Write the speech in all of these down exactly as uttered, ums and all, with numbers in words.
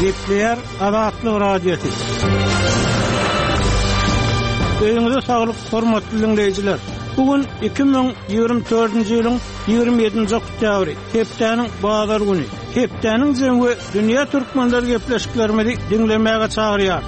Gepleýär Azatlyk Radiosy. Öýüňize saglyk, hormatly diňleýjiler. Bu gün iki müň ýigrimi dördünji ýylyň ýigrimi ýedinji oktýabry, hepdäniň bazar güni. Hepdäniň jemi we dünýä türkmenleri gepleşiklerimizi diňlemäge çagyrýar.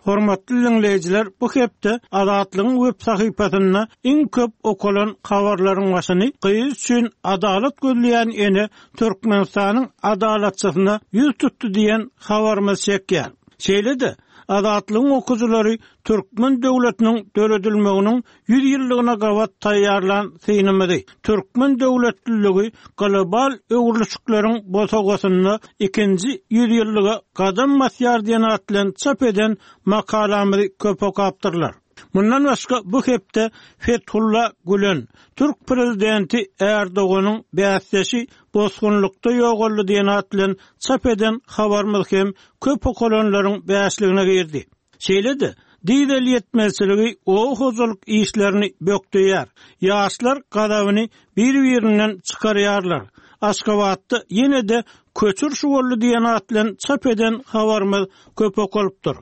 Hormatly diňleýjiler, bu hepde Azatlygyň web sahypasynda iň köp okalan habarlaryň başyny gyz üçin adalat gözleýän ene Türkmenistanyň adalatçysyna ýüz tutdy diýen habarymyz çekýär. Şeýle-de Azatlygyň okyjylary türkmen döwletiniň döredilmeginiň ýüz ýyllygyna gabat taýýarlan synymyzy Türkmen döwletliligi global öwrülişikleriň bosagasynda ikinji ýüz ýyllyga gadam basýar diýen at bilen çap eden makalamyzy köp okapdyrlar. Mundan başga bu hepde Fethullah Gülen, türk prezidenti Erdoganyň bäsdeşi bosgunlykda ýogaldy diýen at bilen çap eden habarymyz hem köp okalanlaryň bäşligine girdi. Şeýle-de dizel ýetmezçiligi oba hojalyk işlerini bökdeýär. Ýaşlar gazabyny bir-birinden çykarýarlar. Aşgabatda ýene-de köçür şu boldy diýen at bilen çap eden habarymyz köp okalypdyr.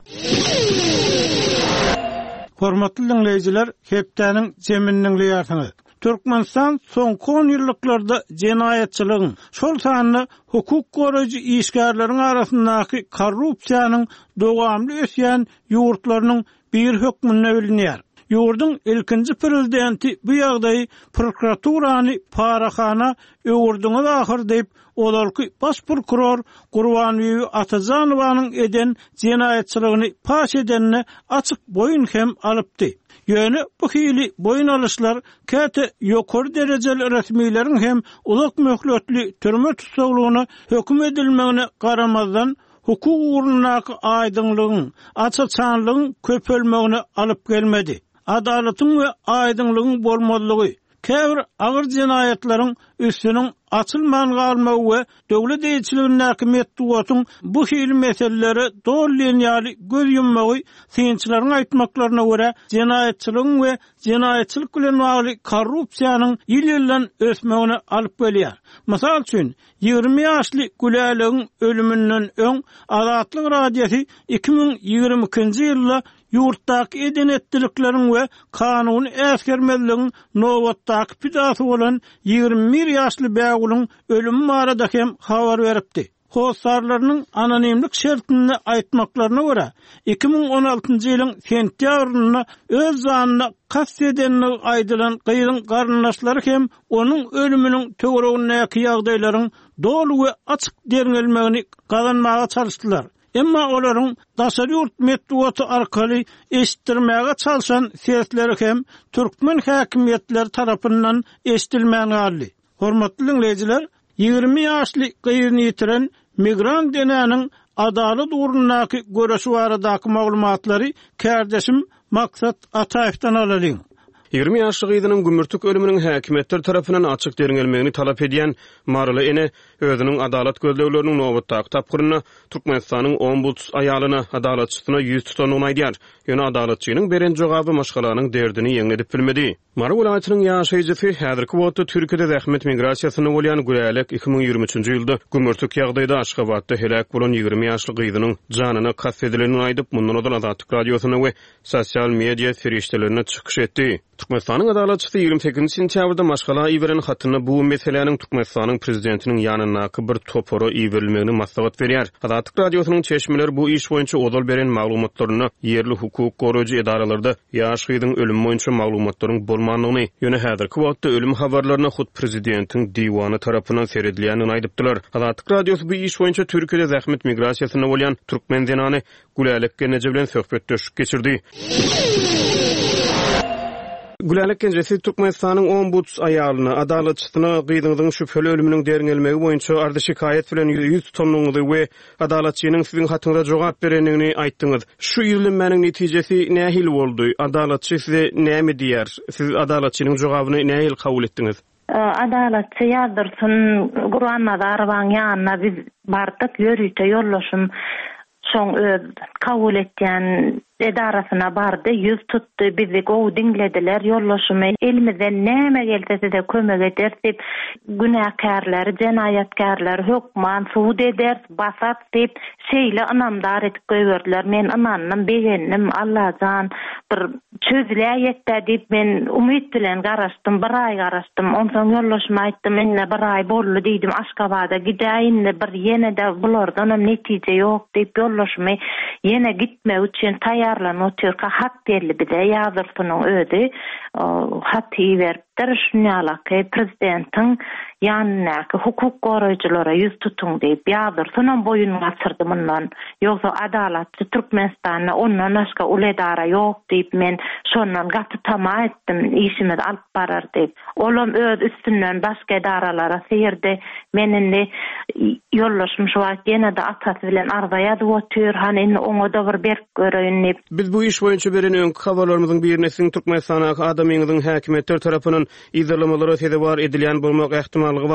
Hormatly diňleýjiler, hepdäniň jemini diňleýärsiňiz. Türkmenistan soňky on ýyllyklarda jenaýatçylygyň, şol sanda hukuk goraýjy işgärleriň arasyndaky korrupsiýanyň dowamly ösýän ýurtlarynyň biri hökmünde bilinýär. Ýurduň ilkinji prezidenti bu ýagdaýy prokuraturany parahana öwürdüňiz ahyr diýip, ozalky baş prokuror Gurbanbibi Atajanowanyň eden jenaýatçylygyny paş edenine açyk boýun hem alypdy. Ýöne bu hili boýun alyşlar käte ýokary derejeli resmileriň hem uzak möhletli türme tussaglygyna höküm edilmegine garamazdan, hukuk ugrundaky aýdyňlygyň, aç-açanlygyň köpelmegine alyp gelmedi. Adalatyň we aýdyňlygyň bolmazlygy, käbir agyr jenaýatlaryň üstüniň açylman galmagy we döwlet eýeçiligindäki metbugatyň bu hili meselelere doly diýen ýaly göz ýummagy synçylaryň aýtmaklaryna görä jenaýatçylygyň we jenaýatçylyk bilen bagly korrupsiýanyň ýyl-ýyldan ösmegine alyp gelýär. Mysal üçin, ýigrimi ýaşly Gülälegiň ölüminden öň Azatlyk Radiosy iki müň ýigrimi ikinji ýylda ýurtdaky eden-etdilikleriň we kanuny äsgermezligiň nobatdaky pidasy bolan ýigrimi bir ýaşly Bägülüň ölümi barada hem habar beripdi. Hossarlarynyň anonimlik şertinde aýtmaklaryna görä, iki müň on altynjy ýylyň sentýabrynda öz janyna kast edendigi aýdylan gyzyň garyndaşlary hem onuň ölüminiň töweregindäki ýagdaýlaryň doly we açyk derňelmegini gazanmaga çalyşdylar. Emma olaryň daşary ýurt metbugaty arkaly eşitdirmäge çalşan sesleri hem türkmen häkimiýetleri tarapyndan eşidilmän galdy. Hormatly diňleýjiler, ýigrimi ýaşly gyzyny ýitiren migrant enäniň adalat ugrundaky göreşi baradaky maglumatlary kärdeşim Maksat Ataýewden alalyň. Ýigrimi ýaşly gyzynyň gümürtik ölüminiň häkimiýetler tarapyndan açyk derňelmegini talap edýän maryly ene özüniň adalat gözlegleriniň nobatdaky tapgyrynda Türkmenistanyň ombuds aýalyna, adalatçysyna ýüz tutandygyny aýdýar. Ýöne adalatçynyň beren jogaby maşgalanyň derdini ýeňledip bilmedi. Mary welaýatynyň ýaşaýjysy, häzirki wagtda Türkiýede zähmet migrasiýasynda bolýan Gülälek iki müň ýigrimi üçünji ýylda gümürtik ýagdaýda Aşgabatda heläk bolan ýigrimi ýaşly gyzynyň janyna kast edilendigini aýdyp, mundan ozal Azatlyk Radiosynda we sosial media serişdelerinde çykyş etdi. Türkmenistanyň adalatçysy ýigrimi sekizinji sentýabrda maşgala iberen hatynda bu meseläniň Türkmenistanyň prezidentiniň ýanyndaky bir topara iberilmegini maslahat berýär. Azatlyk Radiosynyň çeşmeleri bu iş boýunça ozal beren maglumatlarynda ýerli hukuk goraýjy edaralarda ýaş gyzyň ölümi boýunça maglumatlaryň bolmandygyny, ýöne häzirki wagtda ölüm habarlaryna hut prezidentiň diwany tarapyndan seredilýändigini aýdypdylar. Azatlyk Radiosy bu iş boýunça Türkiýede zähmet migrasiýasynda bolýan türkmen zenany Gülälek Gelneje bilen söhbetdeşlik geçirdi. Gülälek Gelneje, siz Türkmenistanyň ombuds aýalyna, adalatçysyna gyzyňyzyň şübheli ölüminiň derňelmegi boýunça arzy-şikaýat bilen ýüz tutandygyňyzy we adalatçynyň siziň hatyňyza jogap berendigini aýtdyňyz. Şu ýüzlenmäniň netijesi nähili boldy? Adalatçy size näme diýýär? Siz adalatçynyň jogabyny nähili kabul etdiňiz? Adalatçy Ýazdyrsyn Gurbannazarowanyň ýanyna biz bardyk, ýörite ýoldaşym şoň öz kabul etýän edarasyna bardy, ýüz tutdy, bizi gowy diňlediler, ýoldaşymy elimizden näme gelse size kömek ederis diýip, günäkärleri, jenaýatkärleri hökman sud ederis, basarys diýip, şeýle ynamdar edip goýberdiler. Men ynandym, begendim, Allajan bir çözüläýetdä diýip men umyt bilen garaşdym, bir aý garaşdym. Onsoň ýoldaşyma aýtdym, indi bir aý boldy diýdim, Aşgabada gidäý indi bir ýene-de bulardanam netije ýok diýip ýoldaşymy ýene gitmek üçin taýýarlanyp otyrka hat geldi bize, Ýazdursunyň özi haty iberipdir, şunýalaky prezidentiň ýanyndaky hukuk goraýjylara ýüz tutuň diýip, Ýazdursunam boýun gaçyrdy mundan. Ýogsa Adalatçy Türkmenistanda ondan başga uly edara ýok diýip men şondan gaty tama etdim, işimizi alyp barar diýip. Olam öz üstünden başga edaralara syrdy. Men indi ýoldaşym şu wagt ýene-de atasy bilen arza ýazyp otyr, hany indi oňa-da bir berk göreýin diýip. Biz bu iş boýunça beren öňki habarlarymyzyň birinde siziň Türkmenistandaky adamyňyzyň häkimiýetler tarapyndan yzarlamalara sezewar edilýän bolmak ähtimallygy barada